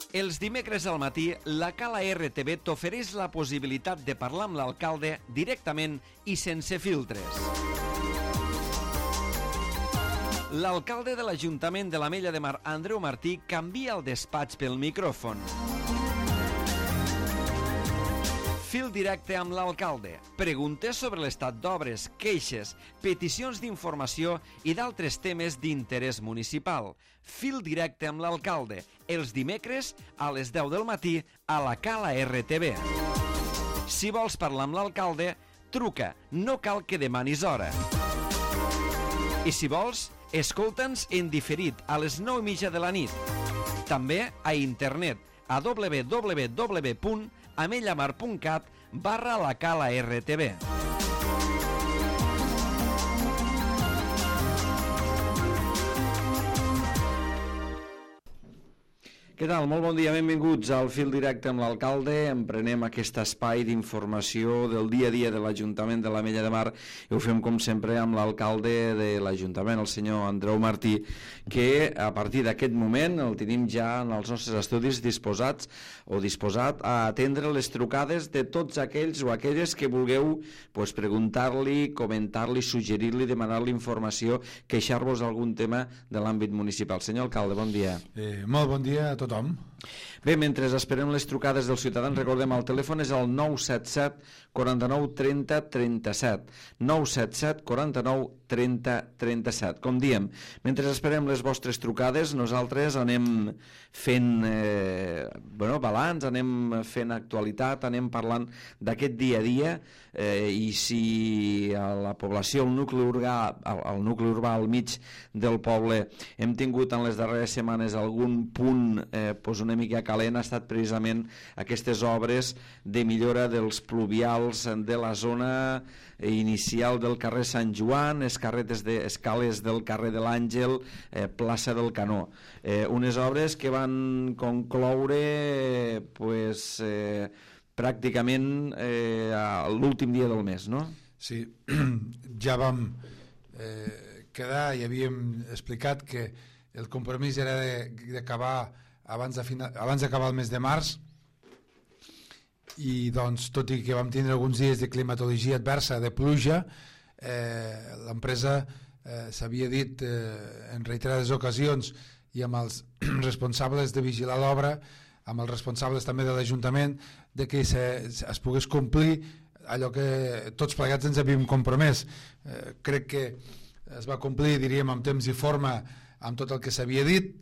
Els dimecres al matí, la Cala RTV t'ofereix la possibilitat de parlar amb l'alcalde directament i sense filtres. L'alcalde de l'Ajuntament de l'Ametlla de Mar, Andreu Martí, canvia el despatx pel micròfon. Fil directe amb l'alcalde. Preguntes sobre l'estat d'obres, queixes, peticions d'informació i d'altres temes d'interès municipal. Fil directe amb l'alcalde. Els dimecres a les 10 del matí a la Cala RTV. Si vols parlar amb l'alcalde, truca. No cal que demanis hora. I si vols, escolta'ns en diferit a les 9:30 de la nit. També a internet a www.amellamar.cat/la Cala RTV. Què tal? Molt bon dia, benvinguts al Fil Directe amb l'alcalde. Emprenem aquest espai d'informació del dia a dia de l'Ajuntament de l'Ametlla de Mar i ho fem com sempre amb l'alcalde de l'Ajuntament, el senyor Andreu Martí, que a partir d'aquest moment el tenim ja en els nostres estudis disposat a atendre les trucades de tots aquells o aquelles que vulgueu preguntar-li, comentar-li, suggerir-li, demanar-li informació, queixar-vos d'algun tema de l'àmbit municipal. Senyor alcalde, bon dia. Molt bon dia a tothom. Bé, mentre esperem les trucades dels ciutadans, recordem, el telèfon és el 977 49 30 37. 977 49 30 37. Com diem, mentre esperem les vostres trucades, nosaltres anem fent balanç, anem fent actualitat, anem parlant d'aquest dia a dia, i si a la població, el nucli urbà al mig del poble, hem tingut en les darreres setmanes algun punt una mica calent, ha estat precisament aquestes obres de millora dels pluvials de la zona inicial del carrer Sant Joan, escales del carrer de l'Àngel, plaça del Canó. Unes obres que van concloure pràcticament l'últim dia del mes, no? Sí, ja vam quedar i havíem explicat que el compromís era d'acabar abans d'acabar el mes de març, i doncs, tot i que vam tindre alguns dies de climatologia adversa, de pluja, l'empresa s'havia dit en reiterades ocasions i amb els responsables de vigilar l'obra, amb els responsables també de l'Ajuntament, de que es pogués complir allò que tots plegats ens havíem compromès. Crec que es va complir, diríem, amb temps i forma, amb tot el que s'havia dit.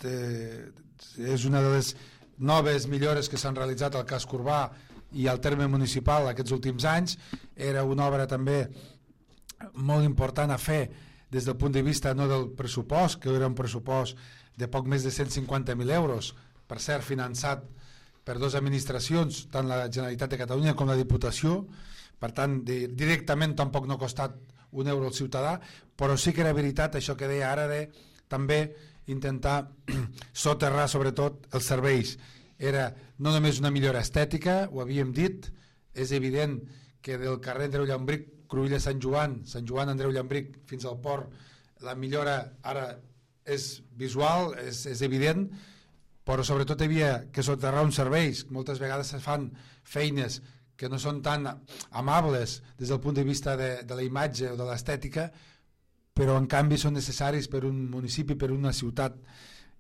És una de les noves millores que s'han realitzat al casc urbà i al terme municipal aquests últims anys. Era una obra també molt important a fer des del punt de vista no del pressupost, que era un pressupost de poc més de 150.000 euros, per cert finançat per dues administracions, tant la Generalitat de Catalunya com la Diputació. Per tant, directament tampoc no ha costat un euro al ciutadà, però sí que era veritat això que deia ara de també intentar soterrar sobretot els serveis. Era no només una millora estètica, ho havíem dit, és evident que del carrer Andreu Llambric, Cruïlla Sant Joan, Sant Joan Andreu Llambric fins al port, la millora ara és visual, és evident, però sobretot hi havia que soterrar uns serveis. Moltes vegades se fan feines que no són tan amables des del punt de vista de la imatge o de l'estètica, però en canvi són necessaris per un municipi, per una ciutat.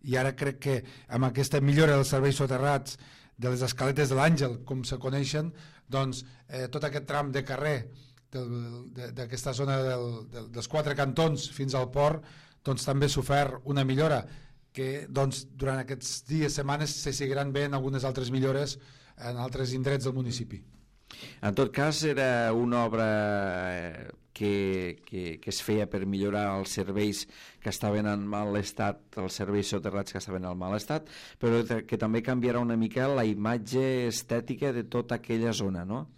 I ara crec que amb aquesta millora dels serveis soterrats, de les escaletes de l'Àngel, com se coneixen, doncs tot aquest tram de carrer d'aquesta zona dels quatre cantons fins al port, doncs també s'ha ofert una millora que doncs, durant aquests dies, setmanes, se seguiran veient algunes altres millores en altres indrets del municipi. En tot cas, era una obra que es feia per millorar els serveis que estaven en mal estat, els serveis soterrats que estaven en mal estat, però que també canviarà una mica la imatge estètica de tota aquella zona, no?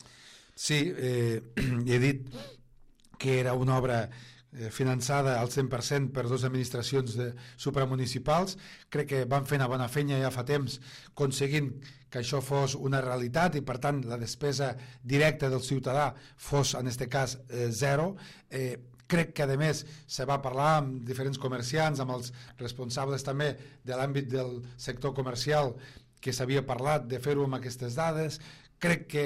Sí, he dit que era una obra finançada al 100% per dues administracions supramunicipals. Crec que van fer una bona feina ja fa temps aconseguint que això fos una realitat i per tant la despesa directa del ciutadà fos en aquest cas zero. Crec que a més se va parlar amb diferents comerciants, amb els responsables també de l'àmbit del sector comercial, que s'havia parlat de fer-ho amb aquestes dades. Crec que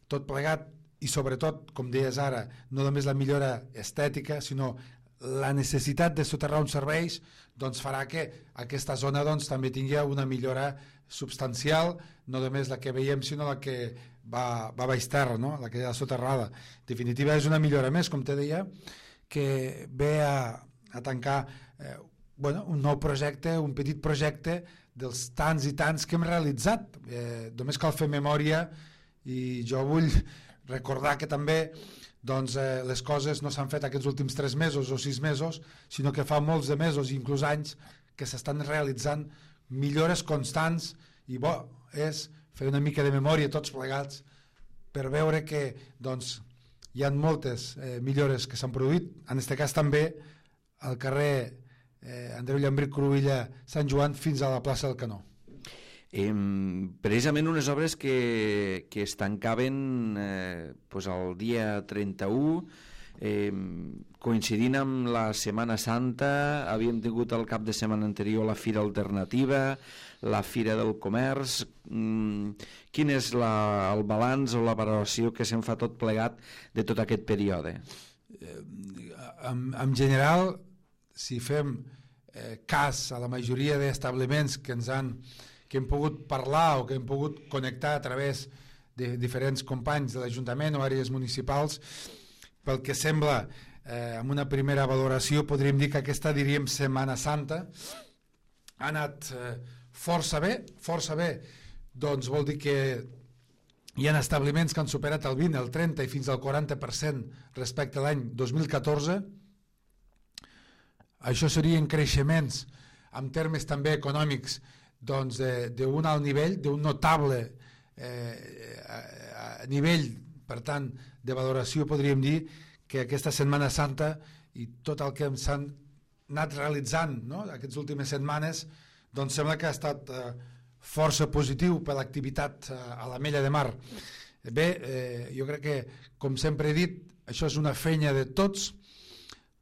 tot plegat, i sobretot, com deies ara, no només la millora estètica, sinó la necessitat de soterrar uns serveis, doncs farà que aquesta zona doncs, també tingui una millora substancial, no només la que veiem sinó la que va a baix terra, no? La que ha soterrada. En definitiva és una millora més, com te deia, que ve a tancar un nou projecte, un petit projecte dels tants i tants que hem realitzat. Només cal fer memòria, i jo vull recordar que també doncs, les coses no s'han fet aquests últims 3 mesos o 6 mesos, sinó que fa molts de mesos i inclús anys que s'estan realitzant millores constants, i bo és fer una mica de memòria tots plegats per veure que doncs, hi ha moltes millores que s'han produït, en aquest cas també al carrer Andreu Llambric Cruïlla Sant Joan fins a la plaça del Canó. Precisament unes obres que es tancaven el dia 31, coincidint amb la Setmana Santa. Havíem tingut el cap de setmana anterior la Fira Alternativa, la Fira del Comerç. Quin és el balanç o la valoració que se'n fa tot plegat de tot aquest període? En general, si fem cas a la majoria d'establiments que hem pogut parlar o que hem pogut connectar a través de diferents companys de l'Ajuntament o àrees municipals, pel que sembla, amb una primera valoració podríem dir que aquesta, diríem, Setmana Santa ha anat força bé, doncs vol dir que hi ha establiments que han superat el 20, el 30 i fins al 40% respecte a l'any 2014. Això serien creixements en termes també econòmics doncs d'un alt nivell, d'un notable nivell, per tant, de valoració. Podríem dir que aquesta Setmana Santa i tot el que s'han anat realitzant, no?, aquestes últimes setmanes, doncs sembla que ha estat força positiu per l'activitat a l'Ametlla de Mar. Bé, jo crec que, com sempre he dit, això és una feina de tots.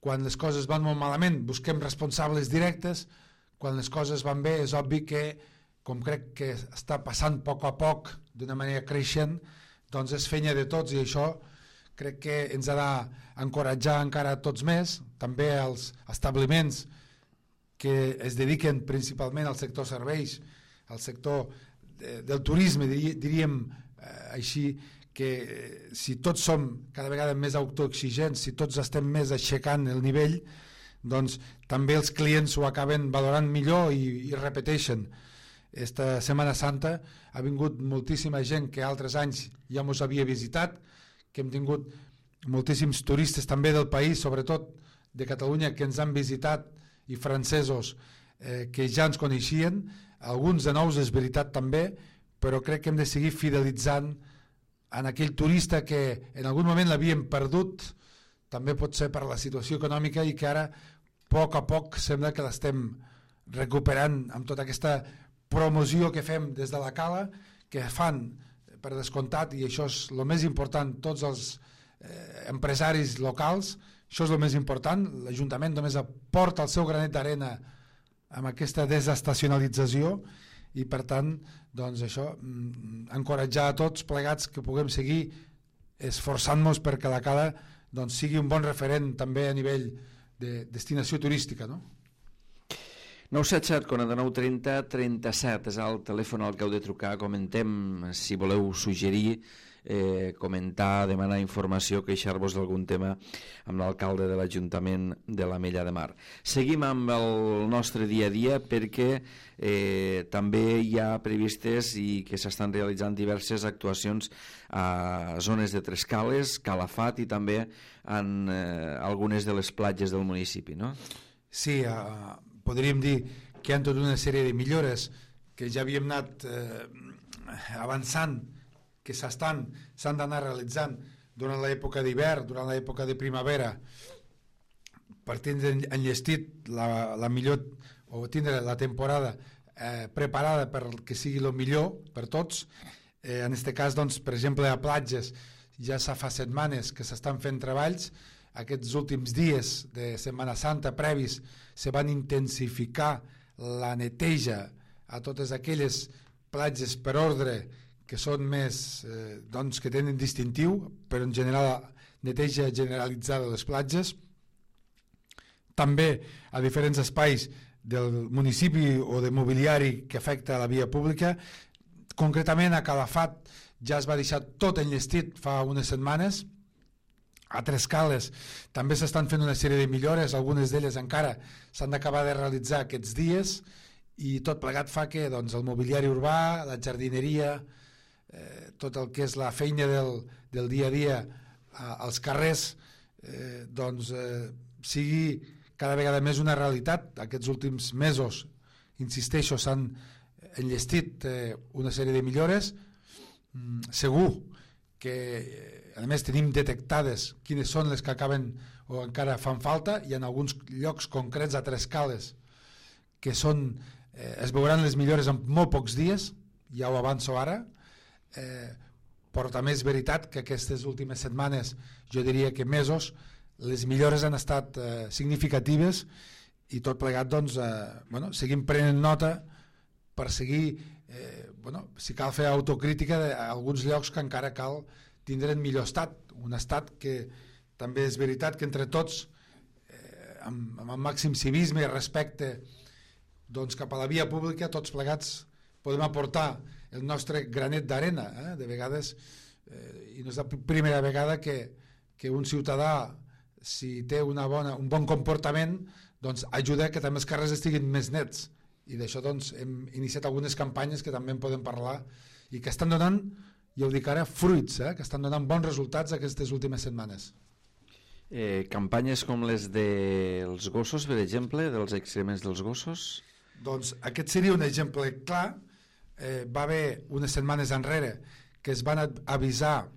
Quan les coses van molt malament busquem responsables directes, quan les coses van bé és obvi que, com crec que està passant a poc d'una manera creixent, doncs és feina de tots, i això crec que ens ha d'encoratjar encara tots més, també els establiments que es dediquen principalment al sector serveis, al sector del turisme, diríem així, que si tots som cada vegada més autoexigents, si tots estem més aixecant el nivell, doncs també els clients ho acaben valorant millor i repeteixen. Esta Setmana Santa ha vingut moltíssima gent que altres anys ja ens havia visitat, que hem tingut moltíssims turistes també del país, sobretot de Catalunya, que ens han visitat, i francesos que ja ens coneixien, alguns de nous, és veritat també, però crec que hem de seguir fidelitzant en aquell turista que en algun moment l'havíem perdut, també pot ser per la situació econòmica, i que ara a poc sembla que l'estem recuperant amb tota aquesta promoció que fem des de la Cala, que fan per descomptat, i això és el més important, tots els empresaris locals. Això és el més important. L'Ajuntament només aporta el seu granet d'arena amb aquesta desestacionalització, i per tant, doncs això, encoratjar a tots plegats que puguem seguir esforçant-nos perquè la Cala doncs, sigui un bon referent també a nivell de destinació turística, no? 977 49 30 37 és el telèfon al que heu de trucar. Comentem, si voleu suggerir, comentar, demanar informació, queixar-vos d'algun tema amb l'alcalde de l'Ajuntament de l'Ametlla de Mar. Seguim amb el nostre dia a dia, perquè també hi ha previstes i que s'estan realitzant diverses actuacions a zones de Trescales, Calafat i també en algunes de les platges del municipi, no? Sí, podríem dir que hi ha tota una sèrie de millores que ja havíem anat avançant, que s'han d'anar realitzant durant l'època d'hivern, durant l'època de primavera, per tindre enllestit la millor, o tindre la temporada preparada perquè sigui el millor per tots. En aquest cas, doncs, per exemple, a platges ja fa setmanes que s'estan fent treballs. Aquests últims dies de Setmana Santa previs se van intensificar la neteja a totes aquelles platges per ordre que són més, doncs, que tenen distintiu, però en general neteja generalitzada de les platges. També a diferents espais del municipi o de mobiliari que afecta a la via pública. Concretament a Calafat ja es va deixar tot enllestit fa unes setmanes. A Trescales també s'estan fent una sèrie de millores, algunes d'elles encara s'han d'acabar de realitzar aquests dies, i tot plegat fa que doncs, el mobiliari urbà, la jardineria, tot el que és la feina del dia a dia als carrers, doncs, sigui cada vegada més una realitat. Aquests últims mesos, insisteixo, s'han enllestit una sèrie de millores. Segur que, a més, tenim detectades quines són les que acaben o encara fan falta, i en alguns llocs concrets a Trescales que són, es veuran les millores en molt pocs dies, ja ho avanço ara, però també és veritat que aquestes últimes setmanes, jo diria que mesos, les millores han estat significatives, i tot plegat, doncs, seguim prenent nota per seguir, si cal fer autocrítica d'alguns llocs que encara cal tindre en millor estat, un estat que també és veritat que entre tots, amb el màxim civisme i respecte, doncs, cap a la via pública, tots plegats podem aportar el nostre granet d'arena. De vegades, i no és la primera vegada que un ciutadà, si té un bon comportament, doncs ajuda que també els carrers estiguin més nets, i d'això doncs hem iniciat algunes campanyes que també en podem parlar i que estan donant, ja ho dic ara, fruits, que estan donant bons resultats aquestes últimes setmanes. Campanyes com les dels gossos, per exemple, dels excrements dels gossos? Doncs aquest seria un exemple clar. Va haver unes setmanes enrere que es van avisar,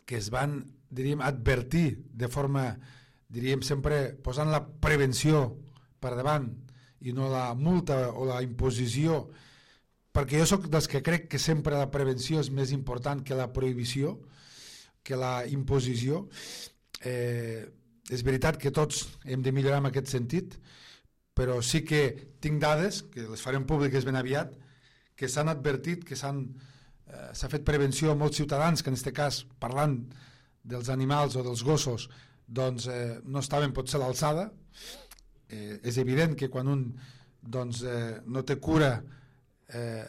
que es van, diríem, advertir de forma, diríem, sempre posant la prevenció per davant i no la multa o la imposició, perquè jo sóc dels que crec que sempre la prevenció és més important que la prohibició, que la imposició. És veritat que tots hem de millorar en aquest sentit, però sí que tinc dades, que les farem públiques ben aviat, que s'han advertit, que s'ha fet prevenció a molts ciutadans que en aquest cas, parlant dels animals o dels gossos, doncs no estaven potser a l'alçada. És evident que quan un doncs, no té cura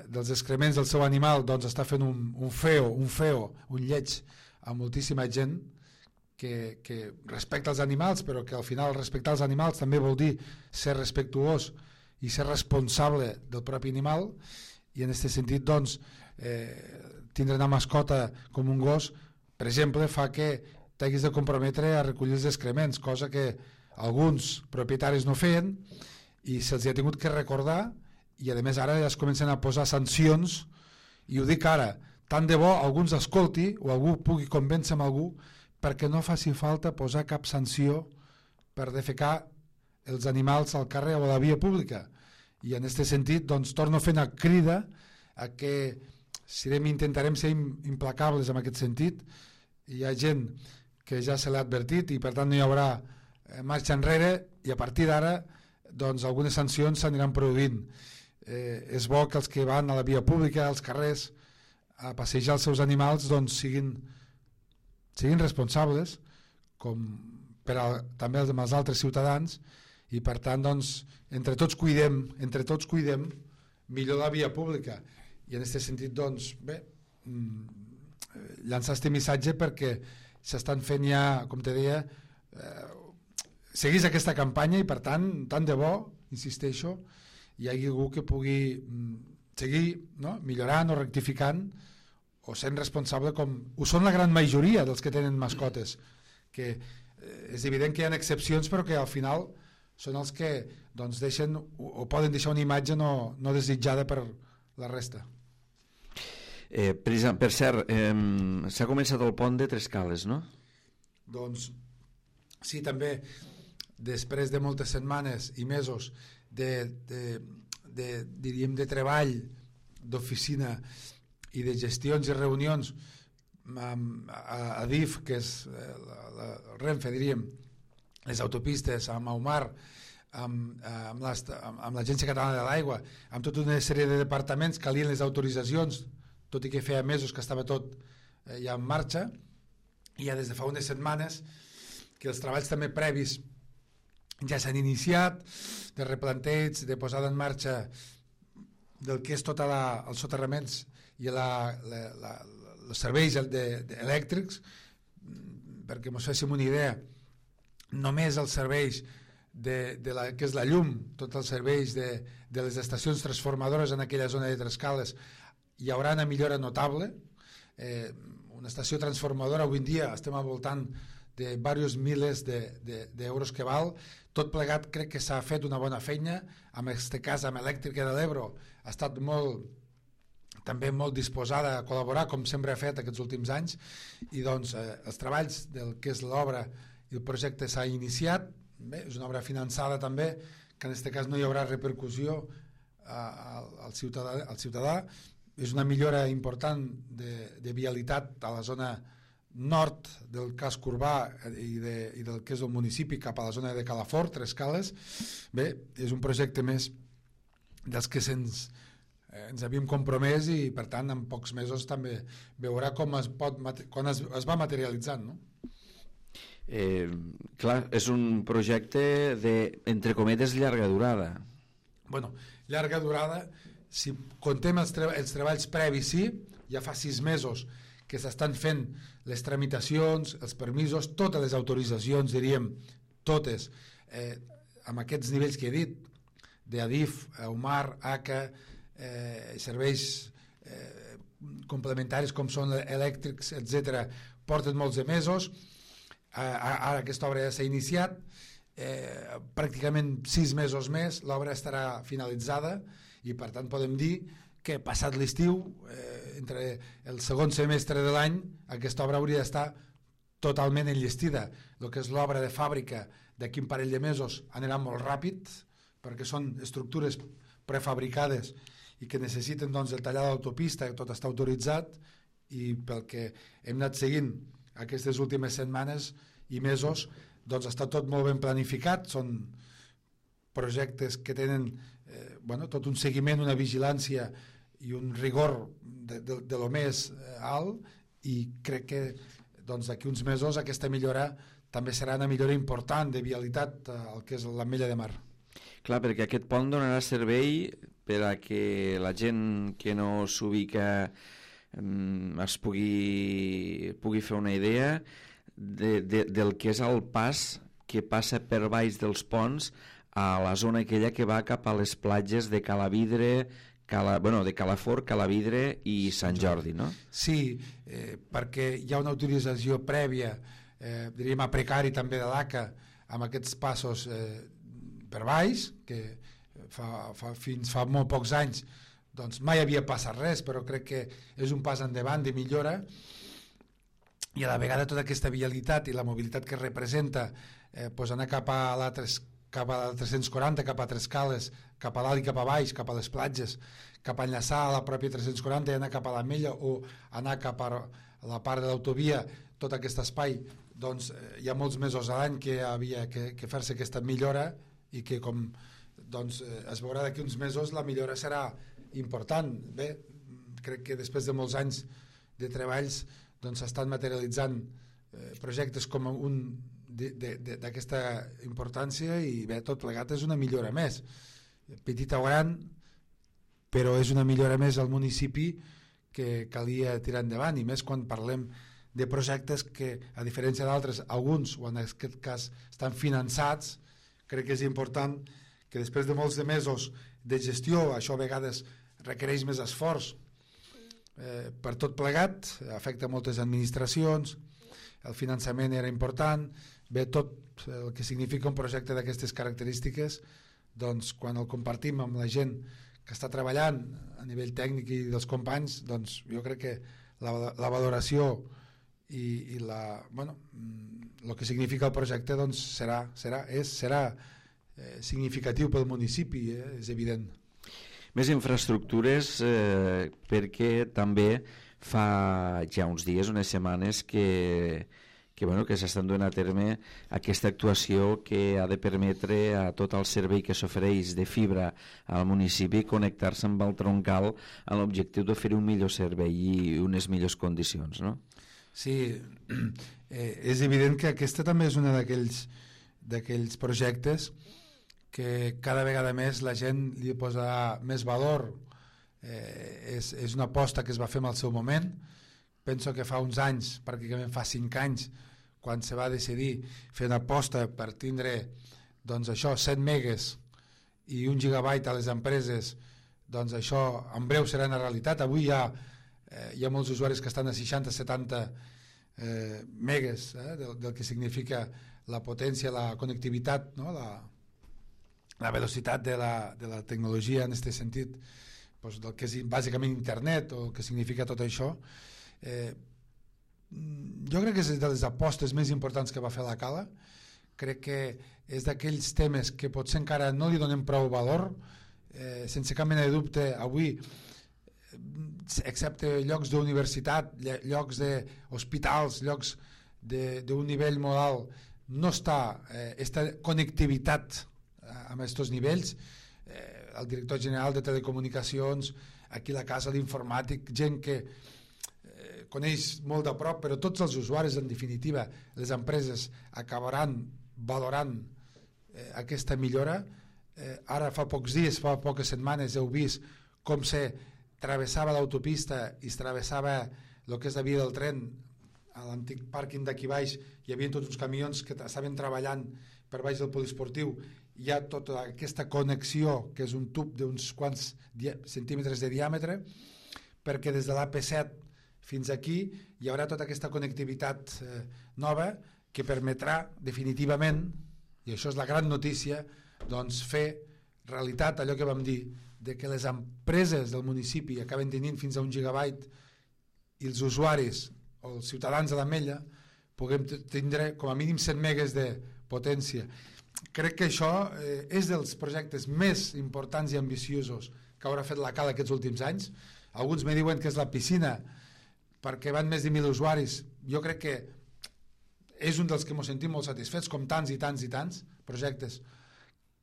dels excrements del seu animal, doncs està fent un lleig a moltíssima gent que respecta els animals, però que al final respectar els animals també vol dir ser respectuós i ser responsable del propi animal, i en aquest sentit doncs, tindre una mascota com un gos, per exemple, fa que t'haguis de comprometre a recollir els excrements, cosa que alguns propietaris no feien i se'ls ha tingut que recordar, i a més ara ja es comencen a posar sancions, i ho dic ara, tant de bo algú ens escolti o algú pugui convèncer amb algú perquè no faci falta posar cap sanció per defecar els animals al carrer o a la via pública. I en aquest sentit doncs, torno a fer una crida a que intentarem ser implacables en aquest sentit. Hi ha gent que ja se l'ha advertit i per tant no hi haurà marxa enrere, i a partir d'ara doncs, algunes sancions s'aniran produint. És bo que els que van a la via pública, als carrers, a passejar els seus animals, doncs, siguin responsables, com també amb els altres ciutadans, i per tant doncs, entre tots cuidem millor la via pública. I en aquest sentit doncs, llançar aquest missatge perquè s'estan fent ja, com te deia, seguís aquesta campanya, i per tant, tant de bo, insisteixo, hi hagi algú que pugui seguir millorant o rectificant o sent responsable, com ho són la gran majoria dels que tenen mascotes, que és evident que hi ha excepcions, però que al final són els que doncs, deixen o poden deixar una imatge no desitjada per la resta. Per cert, s'ha començat el pont de Trescales, no? Doncs sí, també després de moltes setmanes i mesos diríem de treball, d'oficina i de gestions i reunions a DIF, que és el Renfe, diríem, les autopistes, a Maumar, amb l'Agència Catalana de l'Aigua, amb tota una sèrie de departaments, calien les autoritzacions, tot i que feia mesos que estava tot ja en marxa, i ja des de fa unes setmanes que els treballs també previs ja s'han iniciat, de replanteig, de posada en marxa del que és tot els soterraments i els serveis elèctrics, perquè ens féssim una idea, només els serveis que és la llum, tots els serveis de les estacions transformadores en aquella zona de Trescales, hi haurà una millora notable. Una estació transformadora avui en dia estem al voltant de diversos milers d'euros que val. Tot plegat crec que s'ha fet una bona feina. En aquest cas amb Elèctrica de l'Ebro ha estat també molt disposada a col·laborar, com sempre ha fet aquests últims anys, i doncs els treballs del que és l'obra i el projecte s'ha iniciat. Bé, és una obra finançada també, que en aquest cas no hi haurà repercussió al ciutadà. És una millora important de vialitat a la zona nord del casc urbà i del que és el municipi cap a la zona de Calafort, Trescales. Bé, és un projecte més dels que ens havíem compromès i per tant en pocs mesos també veurà quan es va materialitzant, no? Clar, és un projecte de, entre cometes, llarga durada. Bueno, llarga durada, si contem els treballs previs, sí, ja fa 6 mesos que s'estan fent les tramitacions, els permisos, totes les autoritzacions, diríem, totes, amb aquests nivells que he dit, d'Adif, EUMAR, ACA, serveis complementaris com són elèctrics, etc., porten molts de mesos. Ara aquesta obra ja s'ha iniciat, pràcticament 6 mesos més l'obra estarà finalitzada i per tant podem dir que passat l'estiu, entre el segon semestre de l'any, aquesta obra hauria d'estar totalment enllestida. El que és l'obra de fàbrica d'aquí un parell de mesos anirà molt ràpid perquè són estructures prefabricades i que necessiten doncs, el tallar d'autopista, que tot està autoritzat, i pel que hem anat seguint aquestes últimes setmanes i mesos, doncs està tot molt ben planificat. Són projectes que tenen tot un seguiment, una vigilància i un rigor de lo més alt, i crec que doncs, d'aquí uns mesos aquesta millora també serà una millora important de vialitat al que és l'Ametlla de Mar. Clar, perquè aquest pont donarà servei per a que la gent que no s'ubica es pugui fer una idea del que és el pas que passa per baix dels ponts a la zona aquella que va cap a les platges de Calavidre, de Calafort, Calavidre i Sant Jordi, no? Sí, perquè hi ha una utilització prèvia, diríem a precari també de l'ACA, amb aquests passos per baix, que fins fa molt pocs anys doncs mai havia passat res, però crec que és un pas endavant de millora, i a la vegada tota aquesta vialitat i la mobilitat que representa, anar cap a la 340, cap a Trescales, cap a dalt i cap a baix, cap a les platges, cap a enllaçar a la pròpia 340 i anar cap a l'Ametlla o anar cap a la part de l'autovia, tot aquest espai, doncs hi ha molts mesos a l'any que havia que fer-se aquesta millora, i que com doncs, es veurà d'aquí uns mesos la millora serà important. Bé, crec que després de molts anys de treballs doncs s'estan materialitzant projectes com un d'aquesta importància, i bé, tot plegat és una millora més, petita o gran, però és una millora més al municipi que calia tirar endavant, i més quan parlem de projectes que, a diferència d'altres, alguns, o en aquest cas estan finançats. Crec que és important que després de molts de mesos de gestió, això a vegades requereix més esforç per tot plegat, afecta moltes administracions, el finançament era important. Bé, tot el que significa un projecte d'aquestes característiques, doncs quan el compartim amb la gent que està treballant a nivell tècnic i dels companys, doncs jo crec que la valoració i el que significa el projecte doncs serà significatiu pel municipi, és evident. Més infraestructures, perquè també fa ja uns dies, unes setmanes, que que s'estan duent a terme aquesta actuació que ha de permetre a tot el servei que s'ofereix de fibra al municipi connectar-se amb el troncal amb l'objectiu d'oferir un millor servei i unes millors condicions, no? Sí, és evident que aquesta també és una d'aquells projectes que cada vegada més la gent li posarà més valor. És una aposta que es va fer en el seu moment. Penso que fa uns anys, pràcticament fa 5 anys, quan se va decidir fer una aposta per tindre doncs això, 100 megas i 1 gigabyte a les empreses, doncs això en breu serà una realitat. Avui hi ha molts usuaris que estan a 60-70 megas del que significa la potència, la connectivitat, no? la velocitat de la tecnologia en aquest sentit, doncs del que és bàsicament internet o el que significa tot això. Jo crec que és de les apostes més importants que va fer la Cala. Crec que és d'aquells temes que potser encara no li donem prou valor, sense cap mena de dubte. Avui, excepte llocs d'universitat, llocs d'hospitals, llocs d'un nivell modal, no està aquesta connectivitat amb aquests nivells. El director general de telecomunicacions, aquí a la casa l'informàtic, gent que coneix molt de prop, però tots els usuaris, en definitiva, les empreses acabaran valorant aquesta millora. Ara fa pocs dies, fa poques setmanes, heu vist com se travessava l'autopista i es travessava el que és la via del tren a l'antic pàrquing d'aquí baix. Hi havia tots uns camions que estaven treballant per baix del poliesportiu. Hi ha tota aquesta connexió, que és un tub d'uns quants centímetres de diàmetre, perquè des de l'AP7 fins aquí hi haurà tota aquesta connectivitat nova que permetrà definitivament, i això és la gran notícia, doncs fer realitat allò que vam dir, de que les empreses del municipi acaben tenint fins a 1 gigabyte i els usuaris o els ciutadans de l'Ametlla puguem tindre com a mínim 100 megas de potència. Crec que això és dels projectes més importants i ambiciosos que haurà fet la Cala aquests últims anys. Alguns me diuen que és la piscina perquè van més de 1.000 usuaris. Jo crec que és un dels que ens sentim molt satisfets, com tants i tants i tants projectes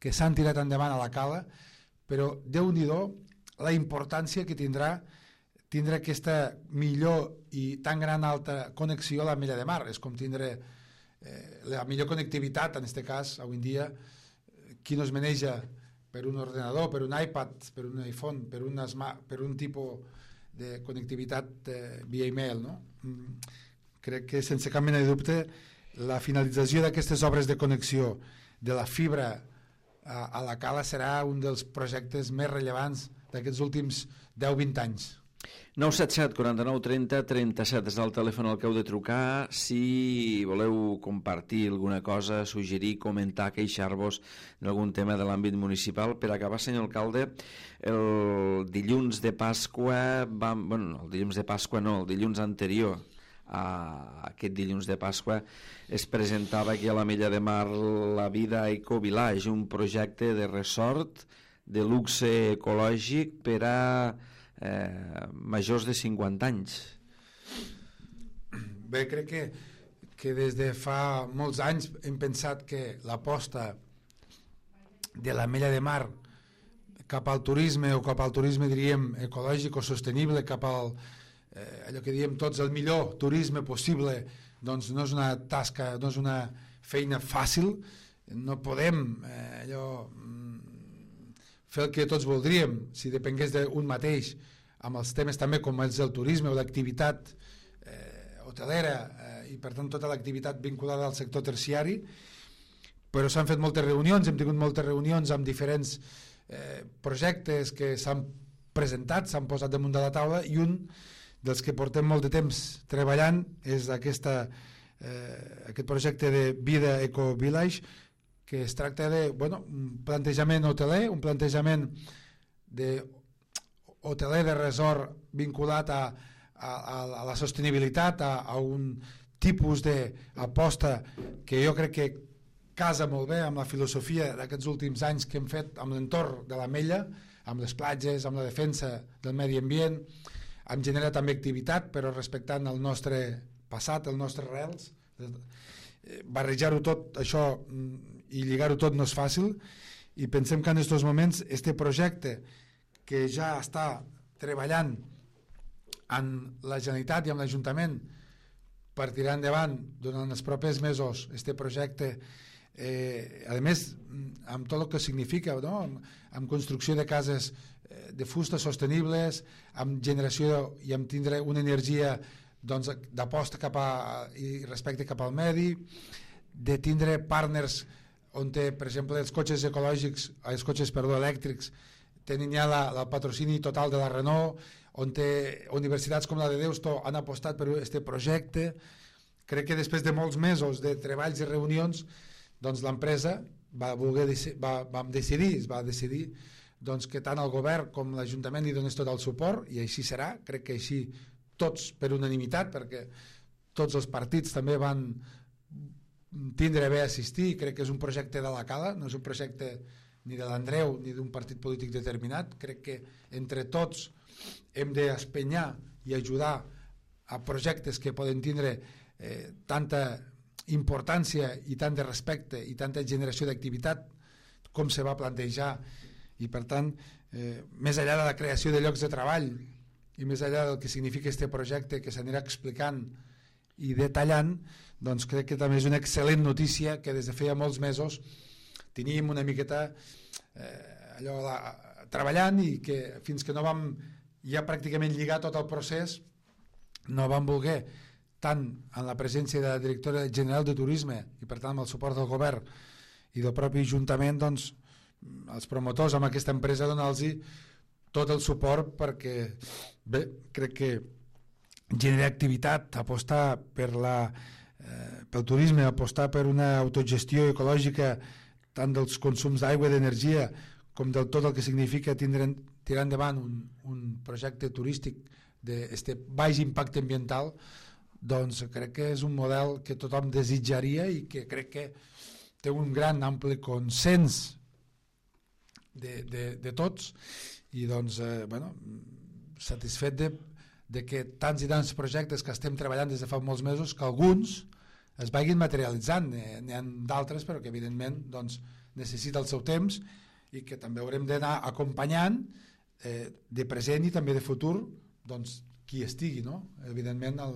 que s'han tirat endavant a la Cala, però Déu-n'hi-do la importància que tindrà tindre aquesta millor i tan gran alta connexió a l'Ametlla de Mar. És com tindre la millor connectivitat, en aquest cas, avui en dia, qui no es maneja per un ordenador, per un iPad, per un iPhone, per un tipus de connectivitat via email, no? Crec que sense cap mena de dubte la finalització d'aquestes obres de connexió de la fibra a la Cala serà un dels projectes més rellevants d'aquests últims 10-20 anys. 977 49 30 37 és el telèfon al que heu de trucar si voleu compartir alguna cosa, suggerir, comentar, queixar-vos d'algun tema de l'àmbit municipal. Per acabar, senyor alcalde, el dilluns de Pasqua el dilluns anterior a aquest dilluns de Pasqua es presentava aquí a l'Ametlla de Mar la Vida Eco Village, un projecte de resort de luxe ecològic per a majors de 50 anys. Bé, crec que des de fa molts anys hem pensat que l'aposta de l'Ametlla de Mar cap al turisme, o cap al turisme diríem ecològic o sostenible, cap al allò que diem tots, el millor turisme possible, doncs no és una tasca, no és una feina fàcil. No podem fer el que tots voldríem si depengués d'un mateix, amb els temes també com és el turisme o l'activitat hotelera i per tant tota l'activitat vinculada al sector terciari, però s'han fet moltes reunions, hem tingut moltes reunions amb diferents projectes que s'han presentat, s'han posat damunt de la taula, i un dels que portem molt de temps treballant és aquest projecte de Vida Eco Village, que es tracta un plantejament hoteler, un plantejament hoteler de resort vinculat a la sostenibilitat, a un tipus d'aposta que jo crec que casa molt bé amb la filosofia d'aquests últims anys que hem fet amb l'entorn de l'Ametlla, amb les platges, amb la defensa del medi ambient, amb generar també activitat, però respectant el nostre passat, els nostres arrels, Barrejar-ho tot, això, i lligar-ho tot no és fàcil, i pensem que en aquests moments este projecte que ja està treballant amb la Generalitat i amb l'Ajuntament per tirar endavant durant els propers mesos este projecte, a més amb tot el que significa, no? Amb construcció de cases de fusta sostenibles, amb generació i amb tindre una energia doncs, d'aposta cap i respecte cap al medi, de tindre partners on té, per exemple, els cotxes ecològics, els cotxes, elèctrics tenen ja el patrocini total de la Renault, on té universitats com la de Deusto han apostat per aquest projecte. Crec que després de molts mesos de treballs i reunions, doncs l'empresa va decidir doncs, que tant el govern com l'Ajuntament li donés tot el suport, i així serà. Crec que així tots per unanimitat, perquè tots els partits també van tindre bé assistir. Crec que és un projecte de la Cala, no és un projecte ni de l'Andreu ni d'un partit polític determinat. Crec que entre tots hem d'espenyar i ajudar a projectes que poden tindre tanta importància i tant de respecte i tanta generació d'activitat com se va plantejar, i per tant més enllà de la creació de llocs de treball i més enllà del que significa este projecte que s'anirà explicant i detallant, doncs crec que també és una excel·lent notícia que des de feia molts mesos teníem una miqueta treballant, i que fins que no vam ja pràcticament lligar tot el procés no vam voler, tant en la presència de la directora general de Turisme i per tant amb el suport del govern i del propi Ajuntament, doncs els promotors amb aquesta empresa donar-los tot el suport, perquè bé, crec que generar activitat, apostar pel turisme, apostar per una autogestió ecològica tant dels consums d'aigua i d'energia com del tot el que significa tirar endavant un projecte turístic d'aquest baix impacte ambiental, doncs crec que és un model que tothom desitjaria i que crec que té un gran ampli consens de tots, i doncs satisfet de que tants i tants projectes que estem treballant des de fa molts mesos, que alguns es vagin materialitzant. N'hi ha d'altres però que evidentment doncs, necessita el seu temps i que també haurem d'anar acompanyant de present i també de futur, doncs qui estigui, no? Evidentment a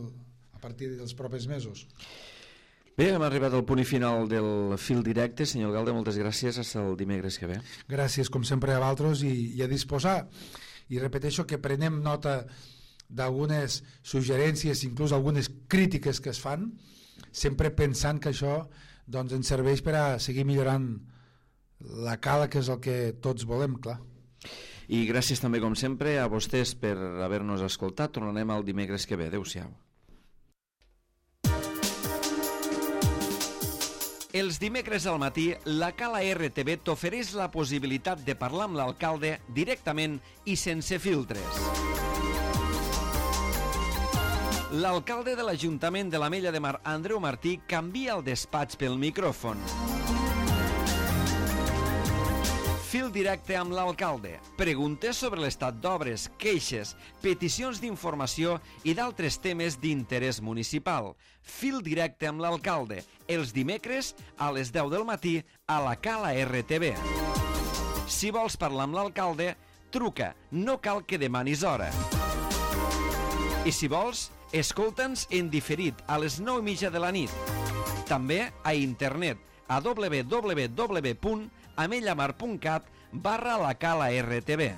partir dels propers mesos. Bé, hem arribat al punt final del fil directe. Senyor Alcalde, moltes gràcies. Fins el dimecres que ve. Gràcies, com sempre, a vosaltres, i a disposar. I repeteixo que prenem nota d'algunes suggerències, inclús algunes crítiques que es fan, sempre pensant que això doncs, ens serveix per a seguir millorant la Cala, que és el que tots volem, clar. I gràcies també, com sempre, a vostès per haver-nos escoltat. Tornarem el dimecres que ve. Adéu-siau. Els dimecres al matí, la Cala RTV t'ofereix la possibilitat de parlar amb l'alcalde directament i sense filtres. L'alcalde de l'Ajuntament de l'Ametlla de Mar, Andreu Martí, canvia el despatx pel micròfon. Fil directe amb l'alcalde. Preguntes sobre l'estat d'obres, queixes, peticions d'informació i d'altres temes d'interès municipal. Fil directe amb l'alcalde. Els dimecres a les 10 del matí a la Cala RTV. Si vols parlar amb l'alcalde, truca. No cal que demanis hora. I si vols, escolta'ns en diferit a les 9:30 de la nit. També a internet a www.amellamar.cat/la Cala RTV.